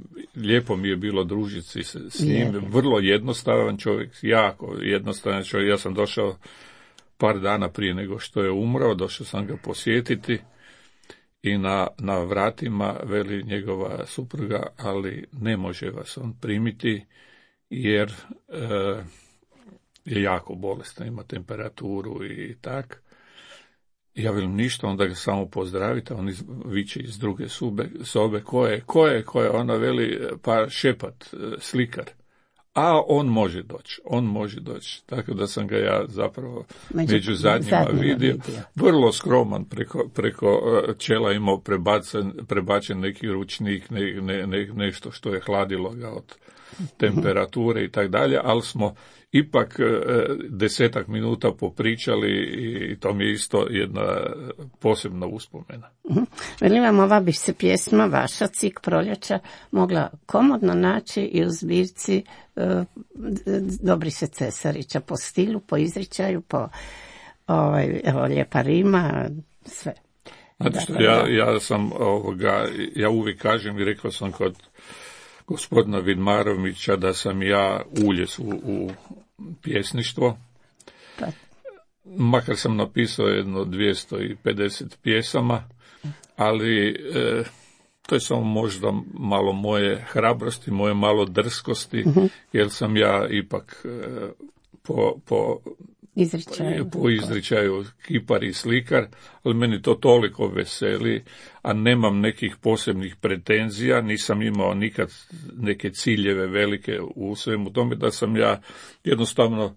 lijepo mi je bilo družiti s, s njim. Je. Vrlo jednostavan čovjek, jako jednostavan čovjek. Ja sam došao par dana prije nego što je umro, došao sam ga posjetiti i na, na vratima veli njegova supruga, ali ne može vas on primiti jer e, je jako bolestan, ima temperaturu i tak. Ja velim ništa, onda ga samo pozdravite, on iz, viče iz druge sobe, sobe, ko je, ko je, ko je, ona veli, pa Šepat, slikar. A on može doći, on može doći. Tako da sam ga ja zapravo među, među zadnjima, zadnjima vidio. vidio. Vrlo skroman, preko, preko čela imao prebačen, prebačen neki ručnik, ne, ne, ne, nešto što je hladilo ga od temperature i tak dalje, ali smo ipak desetak minuta popričali i to mi je isto jedna posebna uspomena. Uh-huh. Velim vam, ova bi se pjesma vaša, Cik proljeća, mogla komodno naći i u zbirci uh, Dobriše Cesarića, po stilu, po izričaju, po ovaj, evo, lijepa rima, sve. Znači što, ja, ja sam ovoga, ja uvijek kažem i rekao sam kod gospodina Vidmarovića da sam ja uljes u, u pjesništvo. Pa. Makar sam napisao jedno dvjesto pedeset pjesama, ali e, to je samo možda malo moje hrabrosti, moje malo drskosti, uh-huh. jer sam ja ipak e, po, po izričaju, po izričaju kipar i slikar, ali meni to toliko veseli, a nemam nekih posebnih pretenzija, nisam imao nikad neke ciljeve velike u svemu tome, da sam ja jednostavno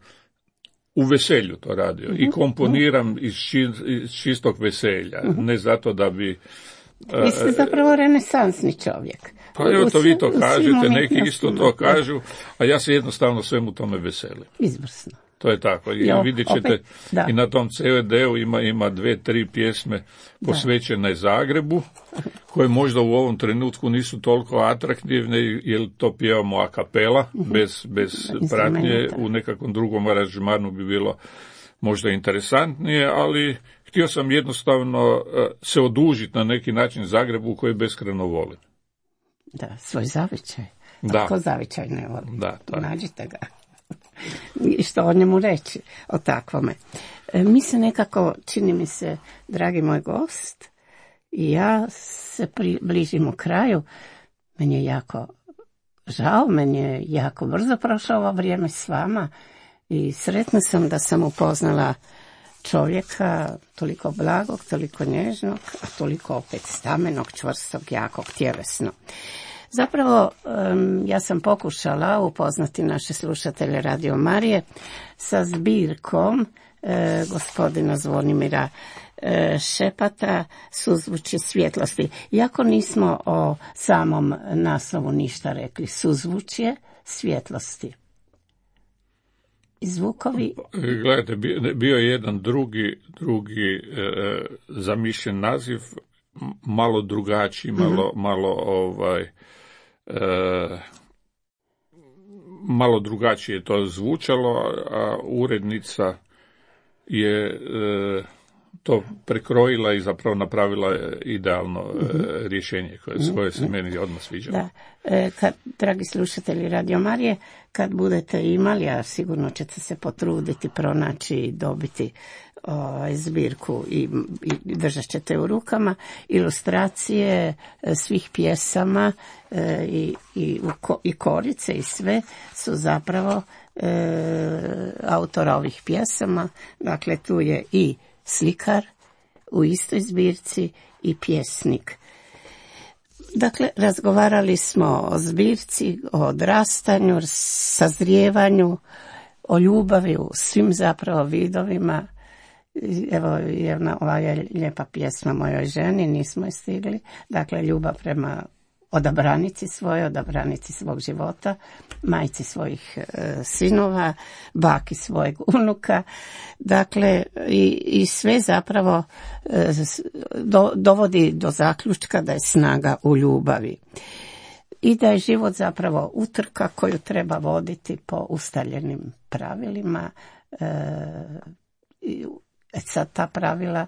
u veselju to radio uh-huh. i komponiram iz, či, iz čistog veselja, uh-huh. ne zato da bi... Vi ste zapravo renesansni čovjek. Pa evo to vi to kažete, neki isto to kažu, a ja se jednostavno svemu tome veselim. Izvrsno. To je tako. I jo, vidjet ćete opet, i na tom C D-u ima, ima dve, tri pjesme posvećene da. Zagrebu, koje možda u ovom trenutku nisu toliko atraktivne, jer to pjevamo a kapela, uh-huh. bez, bez pratnje. U nekakvom drugom aranžmanu bi bilo možda interesantnije, ali htio sam jednostavno se odužiti na neki način Zagrebu koji beskrajno volim. Da, svoj zavičaj. Da. Ko zavičaj ne voli? Da, to nađite ga. I što o njemu reći, o takvome. E, mi se nekako, čini mi se, dragi moj gost, i ja se pri, bližimo kraju. Meni je jako žao, meni je jako brzo prošlo ovo vrijeme s vama i sretna sam da sam upoznala čovjeka toliko blagog, toliko nježnog, a toliko opet stamenog, čvrstog, jakog, tjelesno. Zapravo, ja sam pokušala upoznati naše slušatelje Radio Marije sa zbirkom e, gospodina Zvonimira e, Šepata Suzvučje svjetlosti. Iako nismo o samom naslovu ništa rekli, Suzvučje svjetlosti. I zvukovi... Gledajte, bio je jedan drugi, drugi e, zamišljen naziv, malo drugačiji, malo, mm-hmm. malo ovaj... E, malo drugačije to zvučalo, a urednica je e, to prekrojila i zapravo napravila idealno mm-hmm. e, rješenje koje, koje se meni odmah sviđalo. Da. E, kad, dragi slušatelji Radio Marije, kad budete imali, a sigurno ćete se potruditi pronaći i dobiti o, zbirku i, i držat ćete u rukama ilustracije e, svih pjesama e, i, i, uko, i korice i sve su zapravo e, autora ovih pjesama. Dakle, tu je i slikar u istoj zbirci i pjesnik. Dakle, razgovarali smo o zbirci, o odrastanju, sazrijevanju, o ljubavi u svim zapravo vidovima. Evo, jedna ova je lijepa pjesma Mojoj ženi, nismo je stigli. Dakle, ljubav prema odabranici svoje, odabranici svog života, majci svojih e, sinova, baki svojeg unuka. Dakle, i, i sve zapravo e, do, dovodi do zaključka da je snaga u ljubavi. I da je život zapravo utrka koju treba voditi po ustaljenim pravilima. E, i, sad ta pravila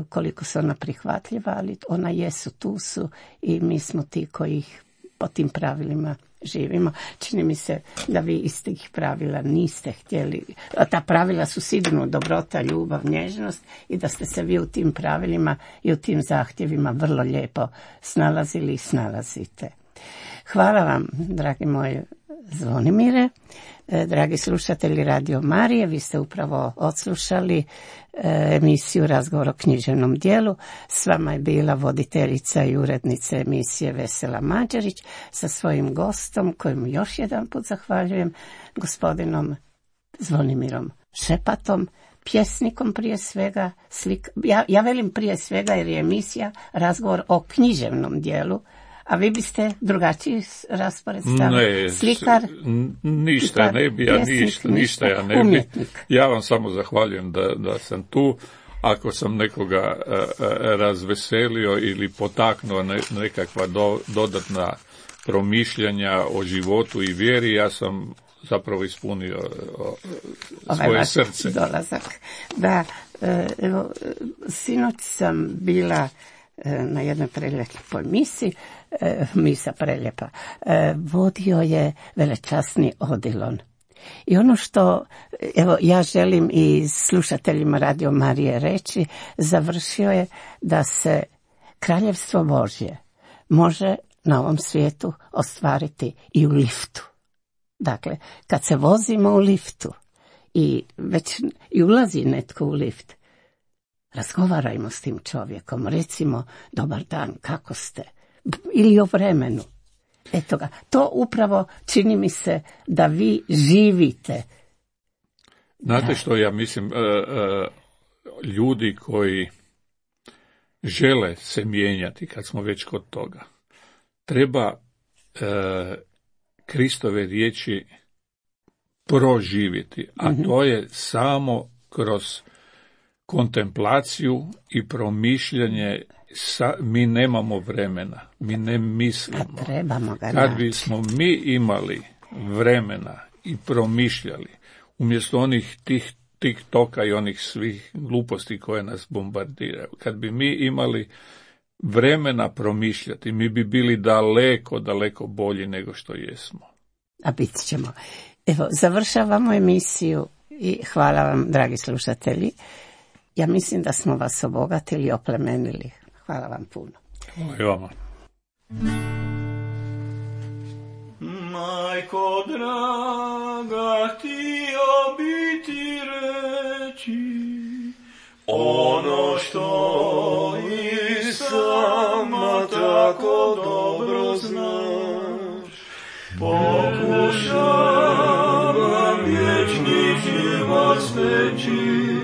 koliko su ona prihvatljiva, ali ona jesu, tu su i mi smo ti koji ih po tim pravilima živimo. Čini mi se da vi iz tih pravila niste htjeli, a ta pravila su sigurno dobrota, ljubav, nježnost i da ste se vi u tim pravilima i u tim zahtjevima vrlo lijepo snalazili i snalazite. Hvala vam, dragi moji Zvonimire, dragi slušatelji Radio Marije, vi ste upravo odslušali emisiju Razgovor o književnom dijelu. S vama je bila voditeljica i urednica emisije Vesela Mađarić sa svojim gostom, kojemu još jedan put zahvaljujem, gospodinom Zvonimirom Šepatom, pjesnikom prije svega. Slik... Ja, ja velim prije svega jer je emisija Razgovor o književnom dijelu, a vi biste drugačiji raspored stavili? Ne, slikar? Ništa, slikar, ne bi ja, ništa, ništa, ništa ja ne bi. Ja vam samo zahvaljujem da, da sam tu. Ako sam nekoga uh, razveselio ili potaknuo ne, nekakva do, dodatna promišljanja o životu i vjeri, ja sam zapravo ispunio uh, svoje ovaj srce. Dolazak. Da, evo, sinoć sam bila na jednoj prelijepoj misi, misa prelijepa, vodio je velečasni Odilon. I ono što, evo, ja želim i slušateljima Radio Marije reći, završio je da se Kraljevstvo Božje može na ovom svijetu ostvariti i u liftu. Dakle, kad se vozimo u liftu i već i ulazi netko u lift, razgovarajmo s tim čovjekom, recimo, dobar dan, kako ste, ili o vremenu. Eto ga, to upravo čini mi se da vi živite. Znate što ja mislim, uh, uh, ljudi koji žele se mijenjati, kad smo već kod toga, treba uh, Kristove riječi proživjeti, a mm-hmm. to je samo kroz kontemplaciju i promišljanje. Sa, mi nemamo vremena, mi ne mislimo. Kad bismo mi imali vremena i promišljali, umjesto onih tih TikToka i onih svih gluposti koje nas bombardiraju, kad bi mi imali vremena promišljati, mi bi bili daleko, daleko bolji nego što jesmo. A bit ćemo. Evo, završavamo emisiju i hvala vam, dragi slušatelji. Ja mislim da smo vas obogatili i oplemenili. Hvala vam puno. Hvala i vama. Majko draga, htio bi ti reći ono što i sama tako dobro znaš. Pokušavam vječni život steći,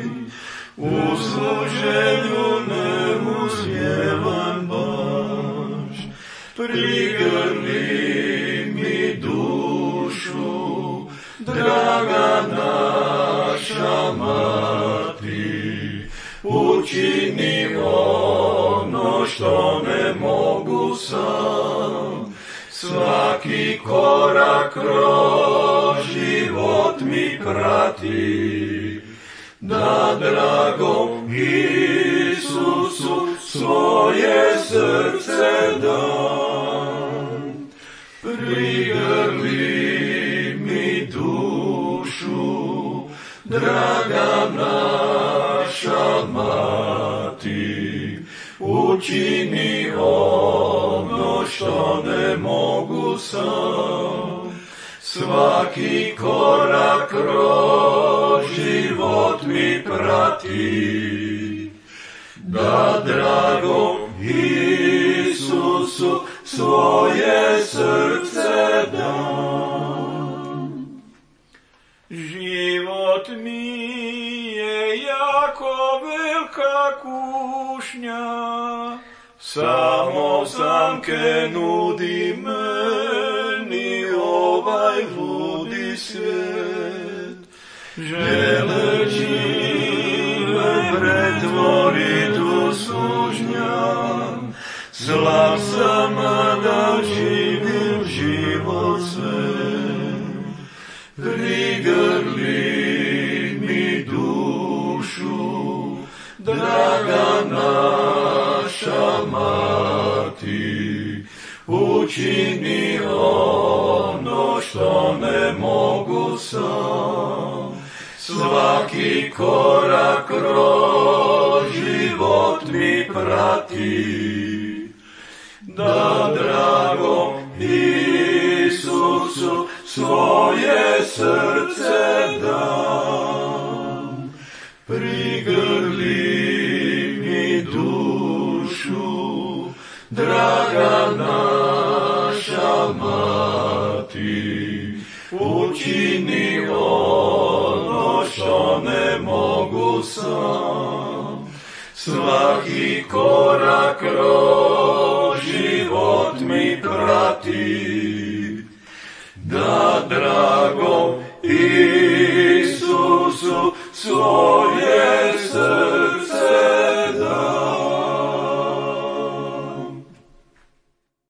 u služenju neuspjevan baš. Prigrli mi dušu, draga naša mati, učini ono što ne mogu sam. Svaki korak kroz život mi prati, da dragom Isusu svoje srce dam. Prigrli mi dušu, draga naša mati, učini ono što ne mogu sam. Svaki korak kroz život mi prati, da dragom Isusu svoje srce dam. Život mi je jako velika kušnja, samo zamke nudi meni ovaj ludi svijet. Želeći me pretvorit u služnjak, slab sam da živim život sve. Prigrli mi dušu, draga naša mati, učini ono što ne mogu sam. Svaki korak kroz život mi prati, da dragom Isusu svoje srce dam. Prigrli mi dušu, draga naša mati, učini ono što ne mogu sam. Svaki korak kroz život mi prati, da dragom Isusu svoj